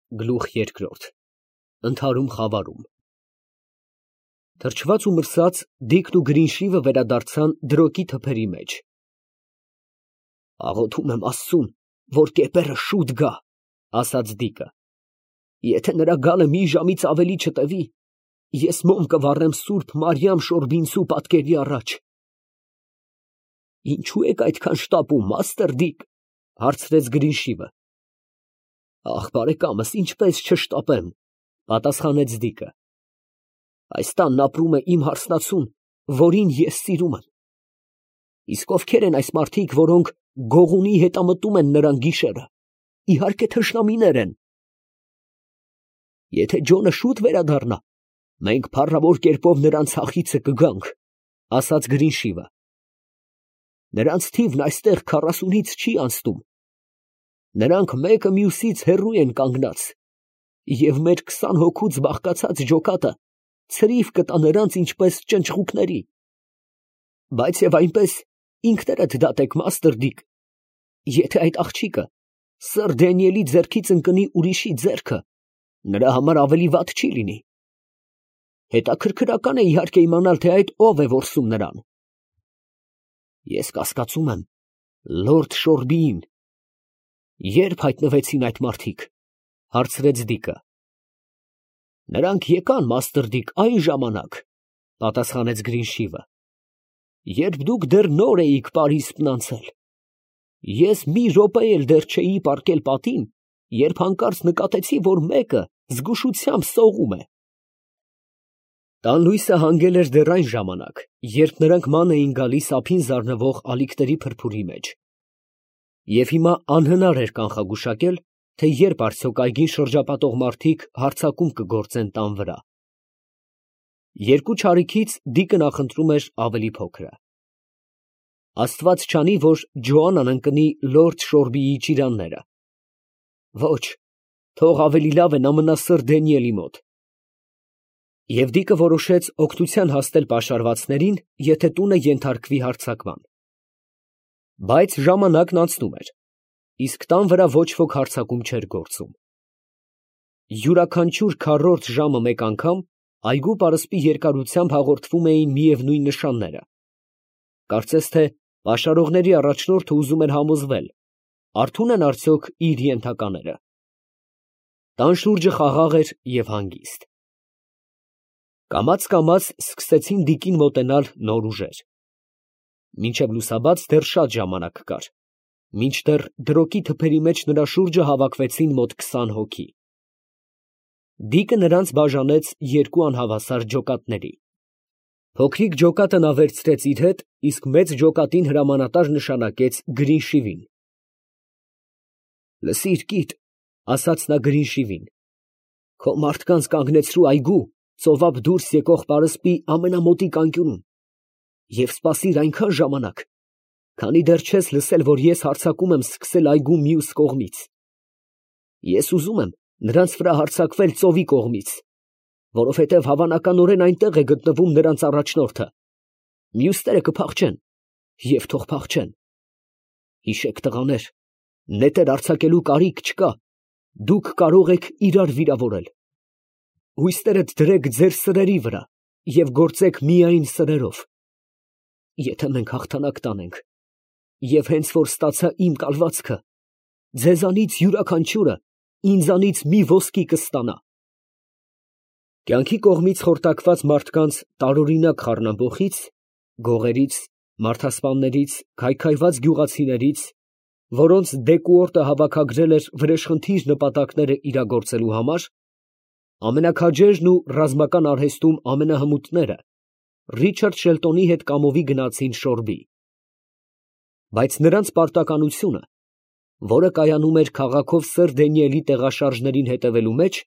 Գլուխ երկրորդ Ընդհարում խավարում Թրջված ու մրսած Դիկն ու Գրինշիվը վերադարձան դրոկի թփերի մեջ։ Աղոթում եմ Աստծուն, որ կեպերը շուտ գա, ասաց Դիկը։ Եթե նրա գալը մի ժամից ավելի չտևի, ես մոմ կվառեմ Սուրբ Մարիամ Շորբինցու պատկերի առաջ։ Ինչու եք այդքան շտապում, մաստր Դիկ, հարցրեց Գրինշիվը։ Ախ, բարեկամս, ինչպես չշտապեմ, պատասխանեց Դիկը։ Այս տանն ապրում է իմ հարսնացուն, որին ես սիրում եմ։ Իսկ ովքեր են այս մարդիկ, որոնք գողունի հետամտում են նրան գիշերը։ Իհարկե թշնամիներ են։ Եթե Ջոնը շուտ վերադառնա, մենք փառավոր կերպով նրան ցախիցը կգանք, ասաց Գրինշիվը։ Նրանց թիվն այստեղ 40-ից չի անցնում։ Նրանք մեկը մյուսից հեռու են կանգնած, և մեր 20 հոգուց բաղկացած ջոկատը ցրիվ կտա նրանց ինչպես ճնճղուկների։ Բայց և այնպես ինքներդ դատեք, մաստր Դիկ, եթե այդ աղջիկը սըր Դանիելի ձեռքից ընկնի ուրիշի ձեռքը, նրա համար ավելի վատ չի լինի։ Հետաքրքրական է իհարկե իմանալ, թե այդ ով է որսում նրան։ Ես կասկածում եմ լորդ Շորբիին։ Ե՞րբ հայտնվեցին այդ մարդիկ, հարցրեց Դիկը։ Նրանք եկան, մաստր Դիկ, այն ժամանակ, պատասխանեց Գրինշիվը, երբ դուք դեռ նոր էիք Պարիսպն անցել։ Ես մի րոպե էլ դեռ չէի պառկել պատին, երբ հանկարծ նկատեցի, որ մեկը զգուշությամբ սողում է։ Տան լույսը հանգել էր դեռ այն ժամանակ, երբ նրանք ման էին գալիս ափին զարնվող ալիքների փրփուրի մեջ։ Եվ հիմա անհնար էր կանխագուշակել, թե երբ արդյոք այգին շրջապատող մարդիկ հարձակում կգործեն տան վրա։ Երկու չարիքից Դիկը նախընտրում էր ավելի փոքրը։ Աստված չանի, որ Ջոանան ընկնի լորդ Շորբիի ճիրանները։ Ոչ, թող ավելի լավ է նա մնա սըր Դանիելի մոտ։ Եվ Դիկը որոշեց օգնության հասնել պաշարվածներին, եթե տունը ենթարկվի հարձակման։ Բայց ժամանակն անցնում էր, իսկ տան վրա ոչ ոք հարձակում չէր գործում։ Յուրաքանչյուր քառորդ ժամը մեկ անգամ այգու պարսպի երկարությամբ հաղորդվում էին միևնույն նշանները։ Կարծես թե պաշարողների առաջնորդը ուզում էր համոզվել, արթո՞ւն են արդյոք իր ենթակաները։ Տան շուրջը խաղաղ էր և հանգիստ։ Կամաց սկսեցին Դիկին մոտենալ նոր ուժեր։ Մինչև լուսաբաց դեռ շատ ժամանակ կար, մինչդեռ դրոկի թփերի մեջ նրա շուրջը հավաքվեցին մոտ 20 հոգի։ Դիկը նրանց բաժանեց երկու անհավասար ջոկատների։ Փոքրիկ ջոկատը նա վերցրեց իր հետ, իսկ մեծ ջոկատին հրամանատար նշանակեց Գրինշիվին։ Լսիր, կիտ, ասաց նա Գրինշիվին, քո մարդկանց կանգնեցրու այգու ծովափ դուրս եկող պարսպի ամենամոտիկ անկյունում և սպասիր այնքան ժամանակ, քանի դեռ չես լսել, որ ես հարձակում եմ սկսել այգու մյուս կողմից։ Ես ուզում եմ նրանց վրա հարձակվել ծովի կողմից, որովհետև հավանականորեն այնտեղ է գտնվում նրանց առաջնորդը։ Մյուսները կփախչեն, և թող փախչեն։ Հիշեք, տղաներ, նետեր արձակելու կարիք չկա, դուք կարող եք իրար վիրավորել։ Հույսներդ դրեք ձեր սրերի վրա և գործեք միայն սրերով։ Եթե մենք հաղթանակ տանենք, և հենց որ ստացա իմ կալվածքը, ձեզանից յուրաքանչյուրը ինձանից մի ոսկի կստանա։ Կյանքի կողմից խորտակված մարդկանց տարօրինակ խառնամբոխից, գողերից, մարդասպաններից, քայքայված գյուղացիներից, որոնց Դեկուորտը հավաքագրել էր վրեժխնդիր նպատակները իրագործելու համար, ամենաքաջերն ու ռազմական արհեստում ամենահմուտները Ռիչարդ Շելտոնի հետ կամովի գնացին Շորբի։ Բայց նրանց պարտականությունը, որը կայանում էր քաղաքով սըր Դանիելի տեղաշարժներին հետևելու մեջ,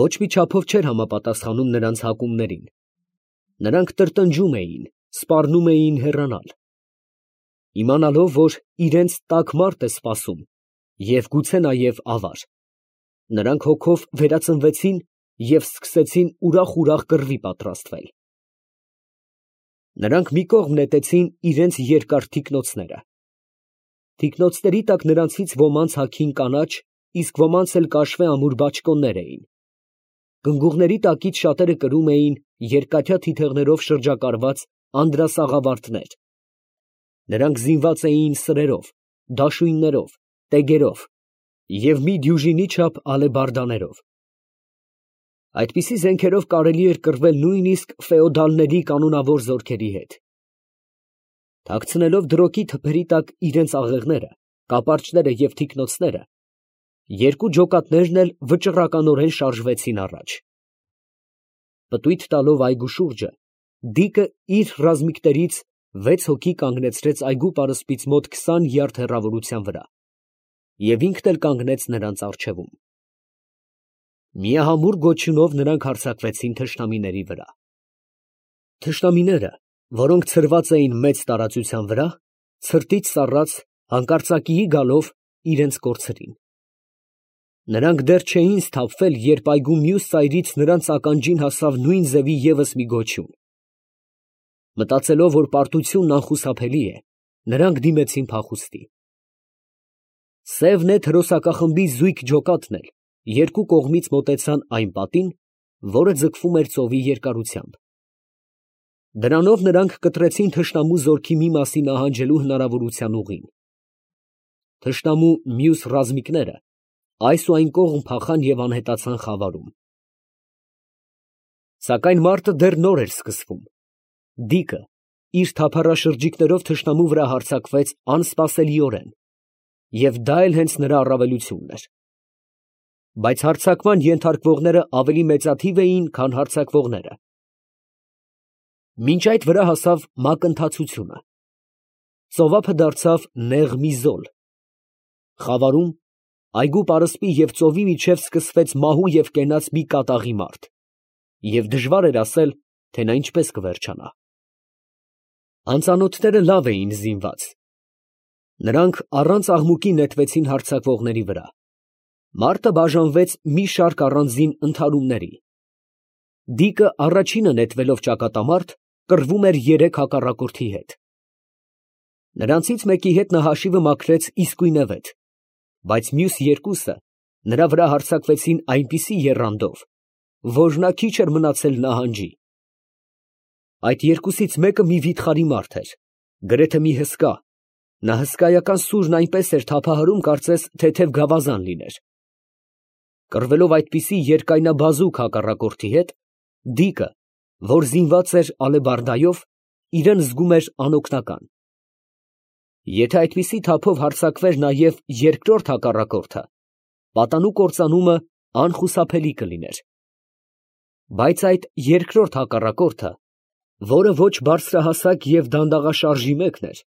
ոչ մի չափով չէր համապատասխանում նրանց հակումներին։ Նրանք տրտնջում էին, սպառնում էին հեռանալ։ Իմանալով, որ իրենց տաք մարդ է սպասում և գուցե նաև ավար, նրանք հոգով վերածնվեցին և սկսեցին ուրախ կռվի պատրաստվել։ Նրանք մի կողմ նետեցին իրենց երկար թիկնոցները։ Թիկնոցների տակ նրանցից ոմանց հագին կանաչ իսկ ոմանց էլ կաշվե ամուր բաճկոններ էին։ Կնգուղների տակից շատերը կրում էին երկաթյա թիթեղներով շրջակարված անդրասաղավարտներ։ Նրանք զինված էին սրերով, դաշույններով, տեգերով և մի դյուժինի չափ ալեբարդաներով։ Այդպիսի զենքերով կարելի էր կռվել նույնիսկ ֆեոդալների կանոնավոր զորքերի հետ։ Թաքցնելով դրոկի թփերի տակ իրենց աղեղները, կապարճները և թիկնոցները, երկու ջոկատներն էլ վճռականորեն շարժվեցին առաջ։ Պտույտ տալով այգու շուրջը, Դիկը իր ռազմիկներից 6 հոգի կանգնեցրեց այգու պարսպից մոտ 20 յարդ հեռավորության վրա և ինքն էլ կանգնեց նրանց առջևում։ Միահամուռ գոչյունով նրանք հարձակվեցին թշնամիների վրա։ Թշնամիները, որոնք ցրված էին մեծ տարածության վրա, ցրտից սառած, հանկարծակիի գալով, իրենց կորցրին։ Նրանք դեռ չէին սթափվել, երբ այգու մյուս ծայրից նրանց ականջին հասավ նույն ձևի ևս մի գոչյուն։ Մտածելով, որ պարտությունն անխուսափելի է, նրանք դիմեցին փախուստի։ Սև նետ հրոսակախմբի զույգ ջոկատն էլ երկու կողմից մոտեցան այն պատին, որը ձգվում էր ծովի երկարությամբ։ Դրանով նրանք կտրեցին թշնամու զորքի մի մասի նահանջելու հնարավորության ուղին։ Թշնամու մյուս ռազմիկները այս ու այն կողմ փախան և անհետացան խավարում։ Սակայն մարտը դեռ նոր էր սկսվում։ Դիկը իր թափառաշրջիկներով թշնամու վրա հարձակվեց անսպասելիորեն, և դա էլ հենց նրա առավելությունն էր։ Բայց հարձակման ենթարկվողները ավելի մեծաթիվ էին, քան հարձակվողները։ Մինչ այդ վրա հասավ մակընթացությունը։ Ծովափը դարձավ նեղ մի զոլ։ Խավարում, այգու պարսպի և ծովի միջև սկսվեց մահու և կենաց մի կատաղի մարդ, և դժվար էր ասել, թե նա ինչպես կվերջանա։ Անծանոթները լավ էին զինված։ Նրանք առանց աղմուկի նետվեցին հարձակվողների վրա։ Մարտը բաժանվեց մի շարք առանձին ընդհարումների։ Դիկը առաջինը նետվելով ճակատամարտ, կռվում էր 3 հակառակորդի հետ։ Նրանցից մեկի հետ նա հաշիվը մաքրեց իսկույնևեթ, բայց մյուս երկուսը նրա վրա հարձակվեցին այնպիսի եռանդով, որ նա քիչ էր մնացել նահանջի։ Այդ երկուսից մեկը մի վիթխարի մարդ էր, գրեթե մի հսկա, նա հսկայական սուրն այնպես էր թափահարում, կարծես թեթև գավազան լիներ։ Կռվելով այդպիսի երկայնաբազուկ հակառակորդի հետ, Դիկը, որ զինված էր ալեբարդայով, իրան զգում էր անօգնական։ Եթե այդպիսի թափով հարձակվեր նաև երկրորդ հակառակորդը, պատանու կործանումը անխուսափելի կլիներ։ Բայց այդ երկրորդ հակառակորդը, որը ոչ բարձրահասակ և դանդաղաշարժի մեկն էր,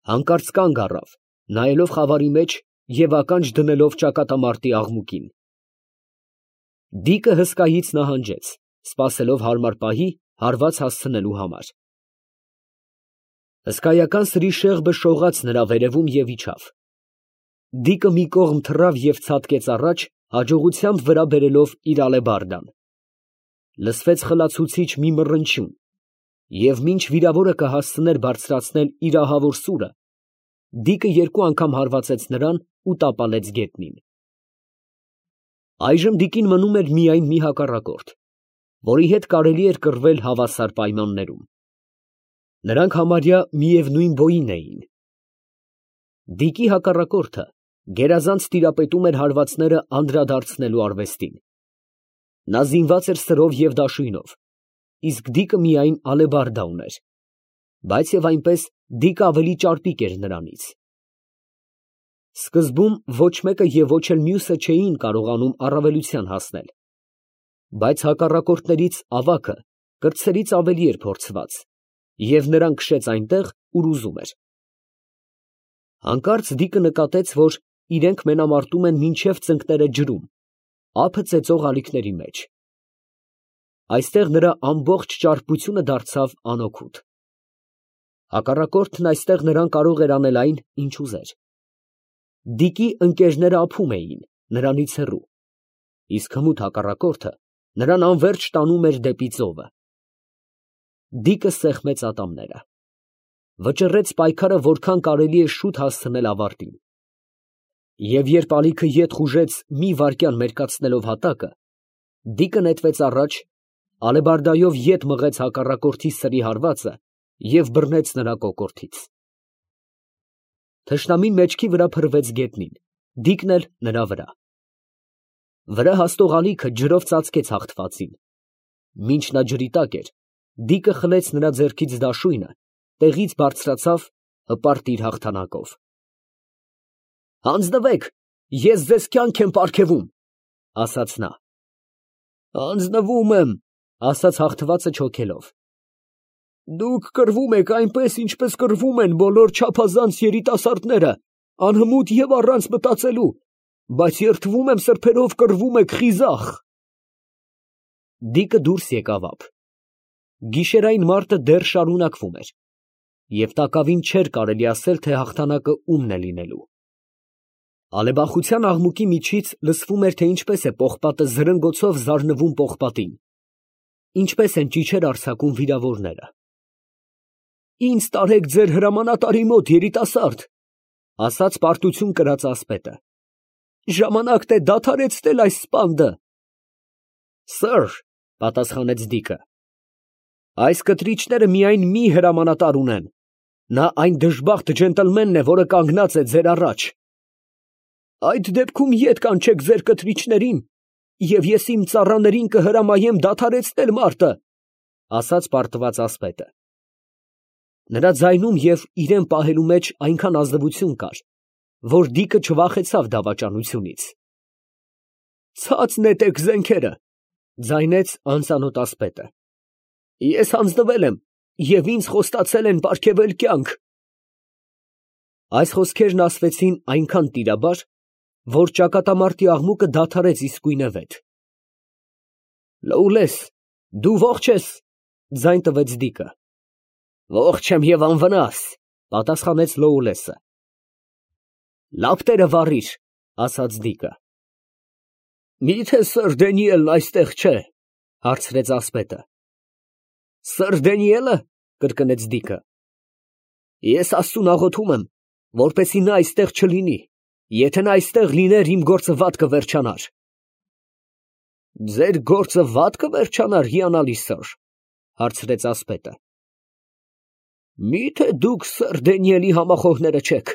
հանկարծ կանգ առավ, նայելով խավարի մեջ և ականջ դնելով ճակատամարտի աղմուկին։ Դիկը հսկայից նահանջեց, սպասելով հարմար պահի հարված հասցնելու համար։ Հսկայական սրի շեղբը շողաց նրա վերևում և իջավ։ Դիկը մի կողմ թռավ և ցատկեց առաջ, հաջողությամբ վրա բերելով իր ալեբարդան։ Լսվեց խլացուցիչ մի մռնչյուն, և մինչ վիրավորը կհասցներ բարձրացնել իր ահավոր սուրը, Դիկը 2 անգամ հարվածեց նրան ու տապալեց գետնին։ Այժմ Դիկին մնում էր միայն մի հակառակորդ, որի հետ կարելի էր կռվել հավասար պայմաններում։ Նրանք համարյա միևնույն բոյին էին։ Դիկի հակառակորդը գերազանց տիրապետում էր հարվածները անդրադարձնելու արվեստին։ Նա զինված էր սրով և դաշույնով, իսկ Դիկը միայն ալեբարդա ուներ, բայց և այնպես Դիկը ավելի ճարպիկ էր նրանից։ Սկզբում ոչ մեկը և ոչ էլ մյուսը չէին կարողանում առավելության հասնել, բայց հակառակորդներից ավագը կրտսերից ավելի էր փորձված, և նրան քշեց այնտեղ, ուր ուզում էր։ Հանկարծ Դիկը նկատեց, որ իրենք մենամարտում են մինչև ծնկները ջրում, ափը ծեծող ալիքների մեջ։ Այստեղ նրա ամբողջ ճարպկությունը դարձավ անօգուտ։ Հակառակորդն այստեղ նրան կարող էր անել այն, ինչ ուզեր։ Դիկի ընկերները ափում էին նրանից հեռու, իսկ հմուտ հակառակորդը նրան անվերջ տանում էր դեպի ծովը։ Դիկը սեղմեց ատամները։ Վճռեց պայքարը որքան կարելի է շուտ հասցնել ավարտին։ Եվ երբ ալիքը ետ խուժեց մի վայրկյան մերկացնելով հատակը, դիկը նետվեց առաջ, ալեբարդայով ետ մղեց հակառակորդի սրի հարվածը և բռնեց նրա կոկորդից։ Թշնամին մեջքի վրա փռվեց գետնին, դիկն էլ նրա վրա։ Վրա հաստող ալիքը ջրով ծածկեց հաղթվածին։ Մինչ նա ջրի տակ էր, դիկը խլեց նրա ձեռքից դաշույնը, տեղից բարձրացավ, հպարտ իր հաղթանակով։ «Հանձնվեք, ես ձեզ կյանք եմ պարգևում», ֊ ասաց նա։ «Հանձնվում եմ», ֊ ասաց հաղթվածը չոքելով։ «Դուք կռվում եք այնպես, ինչպես կռվում են բոլոր չափազանց երիտասարդները, անհմուտ և առանց մտածելու, բայց երդվում եմ սրբերով կռվում եք խիզախ»։ Դիկը դուրս եկավ ափ։ Գիշերային մարտը դեռ շարունակվում էր, և տակավին չէր կարելի ասել, թե հաղթանակը ումն է լինելու։ Ալեբախության աղմուկի միջից լսվում էր, թե ինչպես է պողպատը զրնգոցով զարնվում պողպատին, ինչպես են ճիչեր արձակում վիրավորները։ «Ինձ տարեք ձեր հրամանատարի մոտ, երիտասարդ», ֊ ասաց պարտություն կրած ասպետը։ «Ժամանակն է դադարեցնել այս սպանդը»։ «Սըր», ֊ պատասխանեց դիկը, «այս կտրիչները միայն մի հրամանատար ունեն. նա այն դժբախտ ջենտլմենն է, որը կանգնած է ձեր առաջ»։ «Այդ դեպքում ետ կանչեք ձեր կտրիչներին, և ես իմ ծառաներին կհրամայեմ դադարեցնել մարտը», ֊ ասաց պարտված ասպետը։ Նրա ձայնում և իրան պահելու մեջ այնքան ազնվություն կար, որ դիկը չվախեցավ դավաճանությունից։ «Ցած նետեք զենքերը», ֊ ձայնեց անծանոթ ասպետը։ «Ես հանձնվել եմ, և ինձ խոստացել են պարգևել կյանք»։ Այս խոսքերն ասվեցին այնքան տիրաբար, որ ճակատամարտի աղմուկը դադարեց իսկույնևեթ։ «Լոուլես, դու ո՞ղջ ես», ֊ ձայն տվեց դիկը։ «Ողջ եմ և անվնաս», ֊ պատասխանեց Լոուլեսը։ «Լապտերը վառիր», ֊ ասաց դիկը։ «Մի՞թե սըր Դանիելն այստեղ չէ», ֊ հարցրեց ասպետը։ «Սըր Դանիելը», ֊ կրկնեց դիկը։ «Ես աստծուն աղոթում եմ, որպեսզի նա այստեղ չլինի, եթե նա այստեղ լիներ, իմ գործը վատ կվերջանար»։ «Ձեր գործը վատ կվերջանար, հիանալի սըր», ֊ հարցրեց ասպետը։ «Մի՞թե դուք սըր Դանիելի համախոհները չեք»։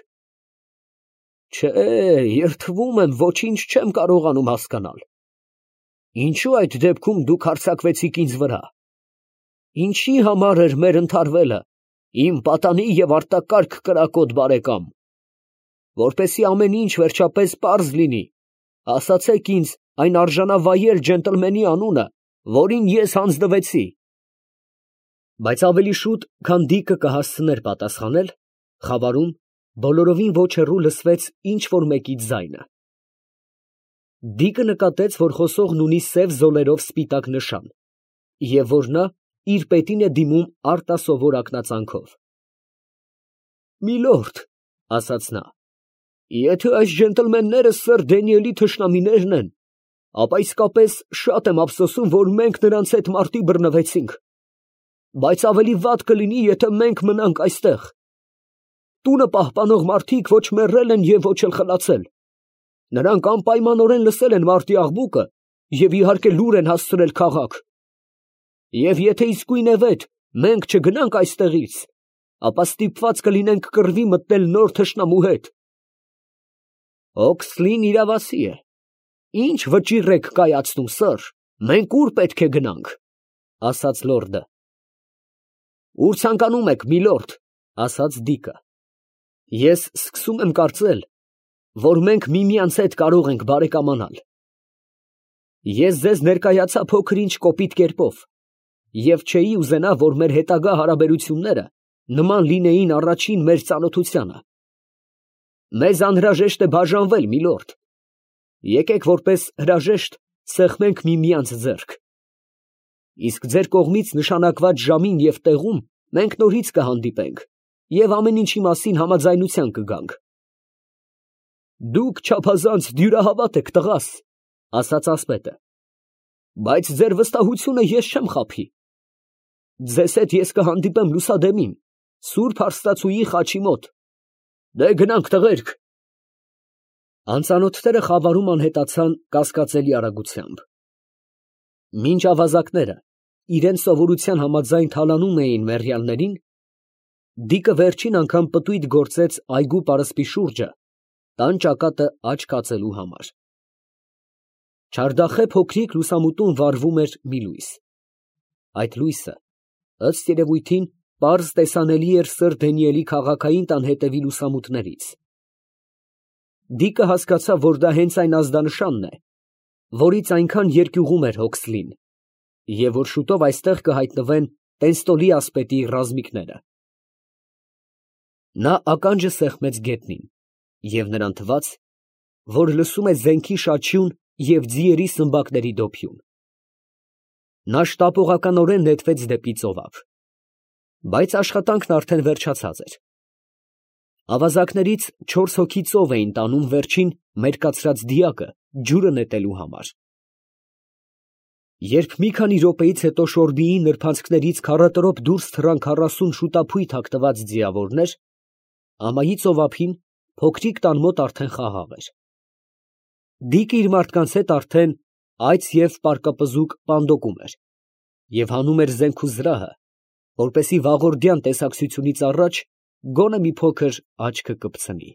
«Չէ, երդվում եմ, ոչինչ չեմ կարողանում հասկանալ։ Ինչո՞ւ այդ դեպքում դուք հարձակվեցիք ինձ վրա։ Ինչի՞ համար էր մեր ընդհարվելը, իմ պատանի և արտակարգ կրակոտ բարեկամ։ Որպեսզի ամեն ինչ վերջապես պարզ լինի, ասացեք ինձ այն արժանավայել ջենտլմենի անունը, որին ես հանձնվեցի»։ Բայց ավելի շուտ, քան դիկը կհասցներ պատասխանել, խավարում, բոլորովին ոչ հեռու լսվեց ինչ֊որ մեկի ձայնը։ Դիկը նկատեց, որ խոսողն ունի սև զոլերով սպիտակ նշան, և որ նա իր պետին է դիմում արտասովոր ակնածանքով։ «Միլորդ, ֊ ասաց նա, ֊ եթե այս ջենտլմենները սըր Դանիելի թշնամիներն են, ապա իսկապես շատ եմ ափսոսում, որ մենք նրանց հետ մարտի բռնվեցինք, բայց ավելի վատ կլինի, եթե մենք մնանք այստեղ։ Տունը պահպանող մարդիկ ոչ մեռել են և ոչ էլ խլացել. նրանք անպայմանորեն լսել են մարտի աղմուկը և իհարկե լուր են հասցրել քաղաք։ Եվ եթե իսկույնևեթ մենք չգնանք այստեղից, ապա ստիպված կլինենք կռվի մտնել նոր թշնամու հետ։ Օքսլին իրավասի է։ Ինչ վճիռ եք կայացնում, սըր, մենք ուր պետք է գնանք, ֊ ասաց լորդը։ Ուր ցանկանում եք, միլորդ, ֊ ասաց դիկը։ Ես սկսում եմ կարծել, որ մենք միմյանց հետ կարող ենք բարեկամանալ։ Ես ձեզ ներկայացա փոքր-ինչ կոպիտ կերպով և չէի ուզենա, որ մեր հետագա հարաբերությունները նման լինեին առաջին մեր ծանոթությանը։ Մեզ անհրաժեշտ է բաժանվել, միլորդ։ Եկեք որպես հրաժեշտ սեղմենք միմյանց ձեռք։ Իսկ ձեր կողմից նշանակված ժամին և տեղում մենք նորից կհանդիպենք և ամեն ինչի մասին համաձայնության կգանք։ Դուք չափազանց դյուրահավատ եք, տղաս, ֊ ասաց ասպետը, բայց ձեր վստահությունը ես չեմ խաբի։ Ձեզ հետ ես կհանդիպեմ լուսադեմին, սուրբ հարստացուի խաչի մոտ։ Դե, գնանք, տղերք։ Անծանոթները խավարում անհետացան կասկածելի արագությամբ։ Մինչ ավազակները իրենց սովորության համաձայն թալանում էին մեռյալներին, Դիկը վերջին անգամ պտույտ գործեց այգու պարսպի շուրջը, տան ճակատը աջ կացելու համար։ Չարդախե փոքրիկ լուսամուտում վառվում էր մի լույս։ Այդ լույսը, ըստ երևույթին, պարզ տեսանելի էր սըր Դանիելի քաղաքային տան հետևի լուսամուտներից։ Դիկը հասկացավ, որ դա հենց այն ազդանշանն է, որից այնքան երկյուղում էր Հոքսլին, և որ շուտով այստեղ կհայտնվեն Տենստոլի ասպետի ռազմիկները։ Նա ականջը սեղմեց գետնին, և նրան թվաց, որ լսում է զենքի շաչյուն և ձիերի սմբակների դոփյուն։ Նա շտապողականորեն նետվեց դեպի ծովափ, բայց աշխատանքն արդեն վերջացած էր։ Ավազակներից 4 հոգի ծով էին տանում վերջին մերկացրած դիակը ջուրը նետելու համար։ Երբ մի քանի րոպեից հետո Շորբիի նրբանցքներից քառատրոփ դուրս թռան 40 շուտափույթ հագնված ձիավորներ, ամայի ծովափին փոքրիկ տան մոտ արդեն խաղաղ էր։ Դիկը իր մարդկանց հետ արդեն այծ և պարկապզուկ պանդոկում էր և հանում էր զենք ու զրահը, որպեսզի վաղորդյան տեսակցությունից առաջ գոնե մի փոքր աչքը կպցնի։